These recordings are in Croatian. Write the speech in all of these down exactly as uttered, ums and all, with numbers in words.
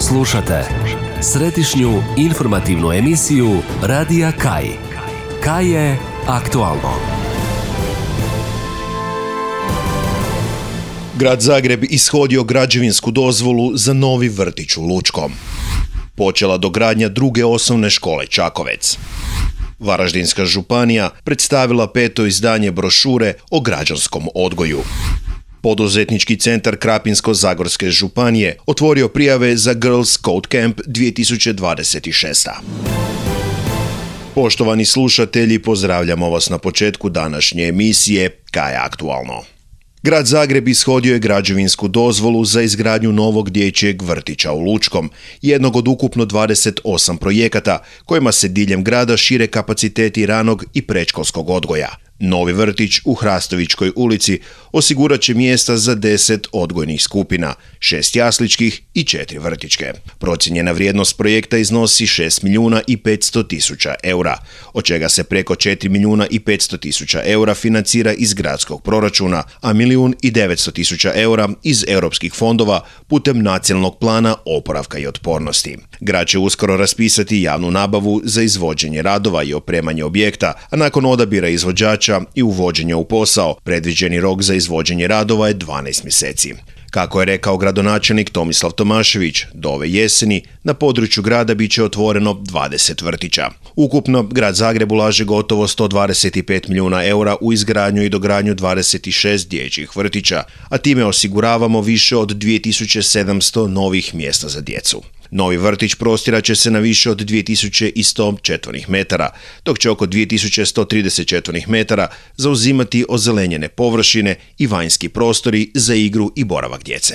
Slušate središnju informativnu emisiju Radija Kaj. Kaj je aktualno. Grad Zagreb ishodio građevinsku dozvolu za novi vrtić u Lučkom. Počela dogradnja druge osnovne škole Čakovec. Varaždinska županija predstavila peto izdanje brošure o građanskom odgoju. Poduzetnički centar Krapinsko-zagorske županije otvorio prijave za Girls Code Camp dvije tisuće dvadeset šest. Poštovani slušatelji, pozdravljamo vas na početku današnje emisije Kaj je aktualno. Grad Zagreb ishodio je građevinsku dozvolu za izgradnju novog dječjeg vrtića u Lučkom, jednog od ukupno dvadeset osam projekata kojima se diljem grada šire kapaciteti ranog i predškolskog odgoja. Novi vrtić u Hrastovičkoj ulici osigurat će mjesta za deset odgojnih skupina, šest jasličkih i četiri vrtićke. Procijenjena vrijednost projekta iznosi šest milijuna i petsto tisuća eura, od čega se preko četiri milijuna i petsto tisuća eura financira iz gradskog proračuna, a milijun i devetsto tisuća eura iz europskih fondova putem nacionalnog plana oporavka i otpornosti. Grad će uskoro raspisati javnu nabavu za izvođenje radova i opremanje objekta, a nakon odabira izvođača i uvođenja u posao, predviđeni rok za izvođenje radova je dvanaest mjeseci. Kako je rekao gradonačelnik Tomislav Tomašević, do ove jeseni na području grada bit će otvoreno dvadeset vrtića. Ukupno, grad Zagreb ulaže gotovo sto dvadeset pet milijuna eura u izgradnju i dogradnju dvadeset šest dječjih vrtića, a time osiguravamo više od dvije tisuće sedamsto novih mjesta za djecu. Novi vrtić prostirat će se na više od dvije tisuće sto četvornih metara, dok će oko dvije tisuće sto trideset četvornih metara zauzimati ozelenjene površine i vanjski prostori za igru i boravak djece.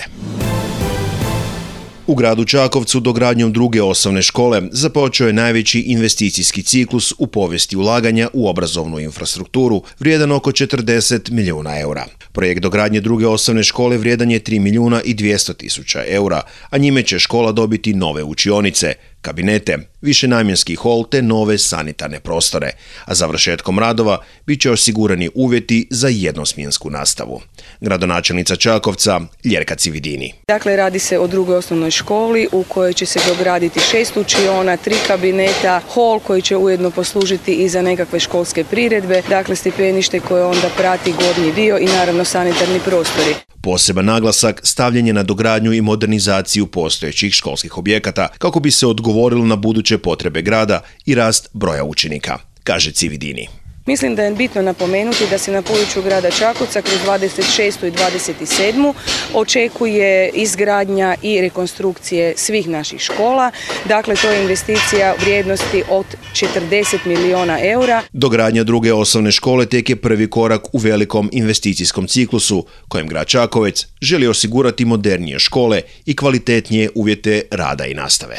U gradu Čakovcu dogradnjom druge osnovne škole započeo je najveći investicijski ciklus u povijesti ulaganja u obrazovnu infrastrukturu, vrijedan oko četrdeset milijuna eura. Projekt dogradnje druge osnovne škole vrijedan je tri milijuna i dvjesto tisuća eura, a njime će škola dobiti nove učionice, kabinete, višenamjenski hol te nove sanitarne prostore, a završetkom radova bit će osigurani uvjeti za jednosmjensku nastavu. Gradonačelnica Čakovca Ljerka Cividini. Dakle, radi se o drugoj osnovnoj školi u kojoj će se dograditi šest učiona, tri kabineta, hol koji će ujedno poslužiti i za nekakve školske priredbe, dakle stipenište koje onda prati gornji dio i naravno sanitarni prostori. Poseban naglasak stavljen je na dogradnju i modernizaciju postojećih školskih objekata kako bi se odgovorilo na buduće potrebe grada i rast broja učenika, kaže Cividini. Mislim da je bitno napomenuti da se na području grada Čakovca kroz dvadeset šestu i dvadeset sedmu očekuje izgradnja i rekonstrukcije svih naših škola. Dakle, to je investicija vrijednosti od četrdeset milijuna eura. Dogradnja druge osnovne škole tek je prvi korak u velikom investicijskom ciklusu kojem grad Čakovec želi osigurati modernije škole i kvalitetnije uvjete rada i nastave.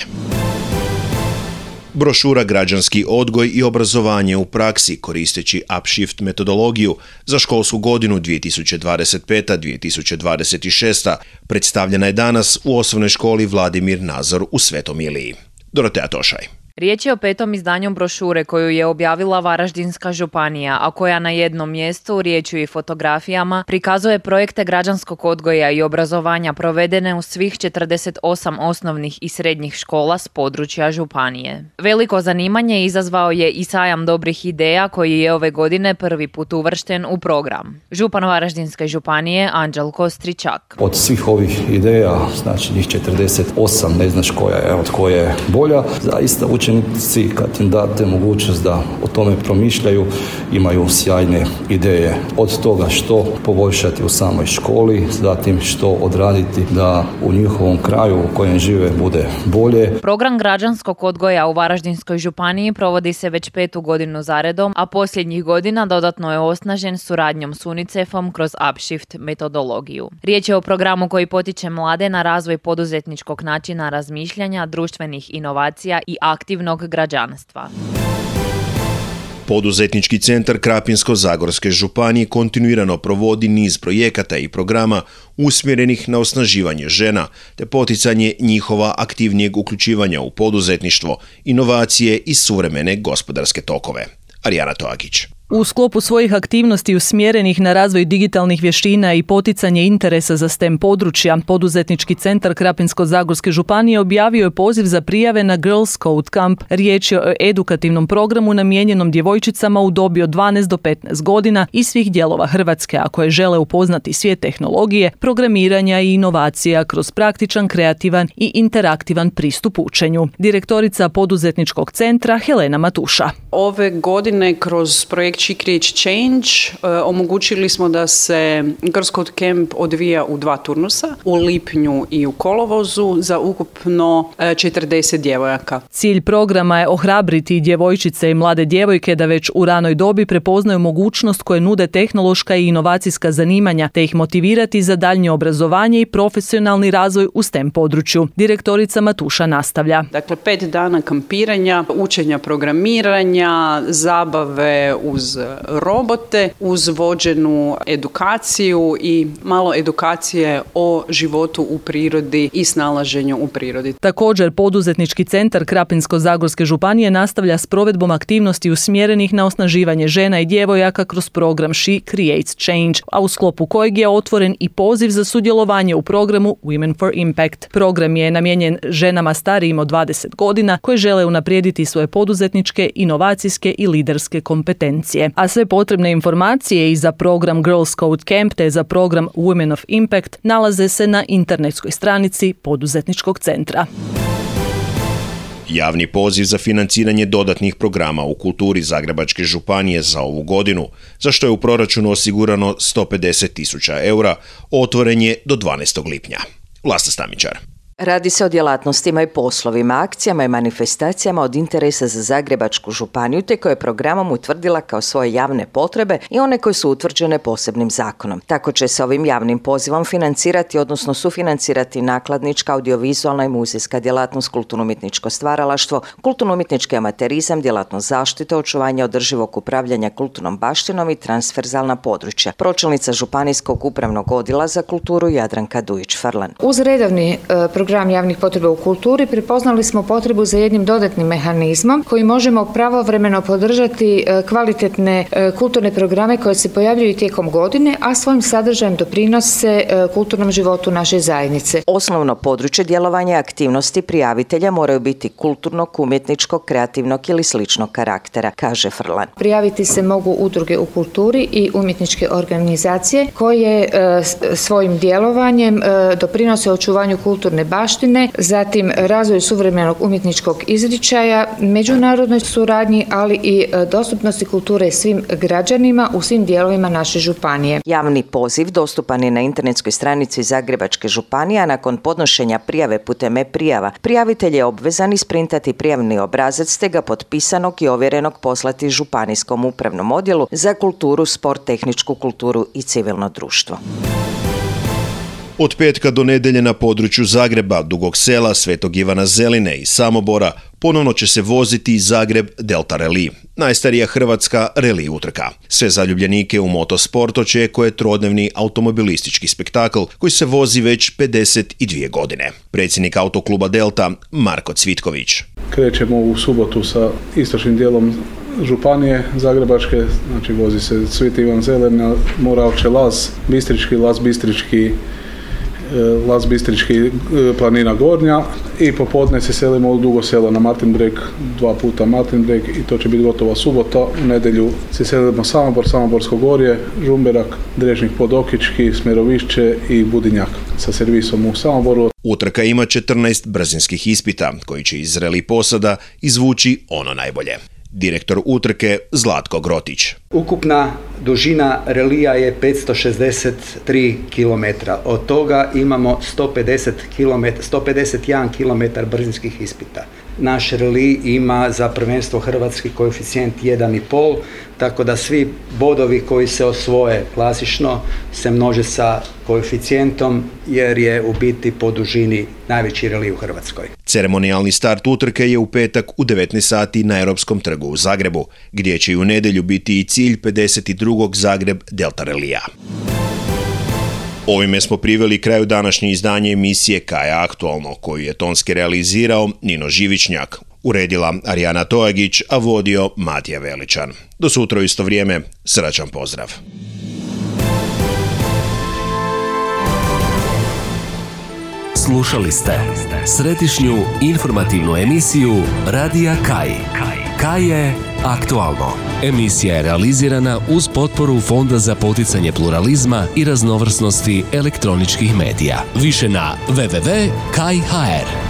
Brošura Građanski odgoj i obrazovanje u praksi koristeći Upshift metodologiju za školsku godinu dvije tisuće dvadeset peta dvije tisuće dvadeset šesta predstavljena je danas u osnovnoj školi Vladimir Nazor u Svetom Iliji. Dorotea Tošaj. Riječ je o petom izdanju brošure koju je objavila Varaždinska županija, a koja na jednom mjestu, riječju i fotografijama, prikazuje projekte građanskog odgoja i obrazovanja provedene u svih četrdeset osam osnovnih i srednjih škola s područja županije. Veliko zanimanje izazvao je i sajam dobrih ideja koji je ove godine prvi put uvršten u program. Župan Varaždinske županije Anđelko Stričak. Od svih ovih ideja, znači njih četrdeset osam, ne znaš koja je od koje je bolja, zaista učenici kad im date mogućnost da o tome promišljaju, imaju sjajne ideje. Od toga što poboljšati u samoj školi, zatim što odraditi da u njihovom kraju u kojem žive bude bolje. Program građanskog odgoja u Varaždinskoj županiji provodi se već petu godinu zaredom, a posljednjih godina dodatno je osnažen suradnjom s UNICEF-om kroz Upshift metodologiju. Riječ je o programu koji potiče mlade na razvoj poduzetničkog načina razmišljanja, društvenih inovacija i aktivnog građanstva. Poduzetnički centar Krapinsko-zagorske županije kontinuirano provodi niz projekata i programa usmjerenih na osnaživanje žena te poticanje njihova aktivnijeg uključivanja u poduzetništvo, inovacije i suvremene gospodarske tokove. Arijana Toakić. U sklopu svojih aktivnosti usmjerenih na razvoj digitalnih vještina i poticanje interesa za STEM područja, Poduzetnički centar Krapinsko-zagorske županije objavio je poziv za prijave na Girls Code Camp. Riječ je o edukativnom programu namijenjenom djevojčicama u dobi od dvanaest do petnaest godina iz svih dijelova Hrvatske, a koje žele upoznati svijet tehnologije, programiranja i inovacija kroz praktičan, kreativan i interaktivan pristup učenju. Direktorica Poduzetničkog centra Helena Matuša. Ove godine kroz projekt She Creates Change uh, omogućili smo da se Girls Code Camp odvija u dva turnusa, u lipnju i u kolovozu za ukupno uh, četrdeset djevojaka. Cilj programa je ohrabriti djevojčice i mlade djevojke da već u ranoj dobi prepoznaju mogućnost koje nude tehnološka i inovacijska zanimanja, te ih motivirati za daljnje obrazovanje i profesionalni razvoj u STEM području. Direktorica Matuša nastavlja. Dakle, pet dana kampiranja, učenja programiranja, zabave uz robote, uz vođenu edukaciju i malo edukacije o životu u prirodi i snalaženju u prirodi. Također, Poduzetnički centar Krapinsko-zagorske županije nastavlja s provedbom aktivnosti usmjerenih na osnaživanje žena i djevojaka kroz program She Creates Change, a u sklopu kojeg je otvoren i poziv za sudjelovanje u programu Women for Impact. Program je namijenjen ženama starijim od dvadeset godina koje žele unaprijediti svoje poduzetničke, inovacijske i liderske kompetencije. A sve potrebne informacije i za program Girls Code Camp te za program Women of Impact nalaze se na internetskoj stranici Poduzetničkog centra. Javni poziv za financiranje dodatnih programa u kulturi Zagrebačke županije za ovu godinu, za što je u proračunu osigurano sto pedeset tisuća eura, otvoren je do dvanaestog lipnja. Vlasta Stamičar. Radi se o djelatnostima i poslovima, akcijama i manifestacijama od interesa za Zagrebačku županiju, te koje je programom utvrdila kao svoje javne potrebe i one koje su utvrđene posebnim zakonom. Tako će se ovim javnim pozivom financirati, odnosno sufinancirati nakladnička, audiovizualna i muzejska djelatnost, kulturno-umjetničko stvaralaštvo, kulturno-umjetnički amaterizam, djelatnost zaštite, očuvanja održivog upravljanja kulturnom baštinom i transverzalna područja. Pročelnica Županijskog upravnog odjela za kulturu Jadranka Dujić-Frlan. Uz redovni program javnih potreba u kulturi prepoznali smo potrebu za jednim dodatnim mehanizmom koji možemo pravovremeno podržati kvalitetne kulturne programe koje se pojavljuju tijekom godine, a svojim sadržajem doprinose kulturnom životu naše zajednice. Osnovno područje djelovanja aktivnosti prijavitelja moraju biti kulturnog, umjetničkog, kreativnog ili sličnog karaktera, kaže Frlan. Prijaviti se mogu udruge u kulturi i umjetničke organizacije koje svojim djelovanjem doprinose očuvanju kulturne baštine, zatim razvoju suvremenog umjetničkog izričaja, međunarodnoj suradnji, ali i dostupnosti kulture svim građanima u svim dijelovima naše županije. Javni poziv dostupan je na internetskoj stranici Zagrebačke županije, a nakon podnošenja prijave putem e-prijava, prijavitelj je obvezan isprintati prijavni obrazac te ga potpisanog i ovjerenog poslati Županijskom upravnom odjelu za kulturu, sport, tehničku kulturu i civilno društvo. Od petka do nedjelje na području Zagreba, Dugog Sela, Svetog Ivana Zeline i Samobora ponovno će se voziti Zagreb Delta Rally, najstarija hrvatska rally utrka. Sve zaljubljenike u motosport očekuje trodnevni automobilistički spektakl koji se vozi već pedeset dvije godine. Predsjednik autokluba Delta Marko Cvitković. Krećemo u subotu sa istočnim dijelom županije Zagrebačke, znači vozi se Sveti Ivan Zelena, Moravče Laz, Bistrički, Laz Bistrički, Laz Bistrički, planina Gornja i popodne se selimo u Dugo Selo na Martin Breg, dva puta Martin Breg i to će biti gotova subota. U nedjelju se selimo Samobor, Samoborsko gorje, Žumberak, Drežnik Podokički, Smerovišće i Budinjak sa servisom u Samoboru. Utrka ima četrnaest brzinskih ispita koji će iz reli posada izvući ono najbolje. Direktor utrke Zlatko Grotić. Ukupna dužina relija je petsto šezdeset tri kilometra. Od toga imamo sto pedeset kilometara, sto pedeset jedan kilometar brzinskih ispita. Naš reli ima za prvenstvo hrvatski koeficijent jedan zarez pet, tako da svi bodovi koji se osvoje klasično se množe sa koeficijentom jer je u biti po dužini najveći reli u Hrvatskoj. Ceremonijalni start utrke je u petak u devetnaest sati na Europskom trgu u Zagrebu, gdje će i u nedjelju biti i cilj pedeset drugog Zagreb Delta Relija. Ovime smo priveli kraju današnje izdanje emisije Kaja aktualno, koju je tonski realizirao Nino Živičnjak. Uredila Arijana Tojagić, a vodio Matija Veličan. Do sutra u isto vrijeme, srećan pozdrav. Slušali ste središnju informativnu emisiju Radija Kaj. Kaj je aktualno. Emisija je realizirana uz potporu Fonda za poticanje pluralizma i raznovrsnosti elektroničkih medija. Više na w w w tačka kaj tačka h r.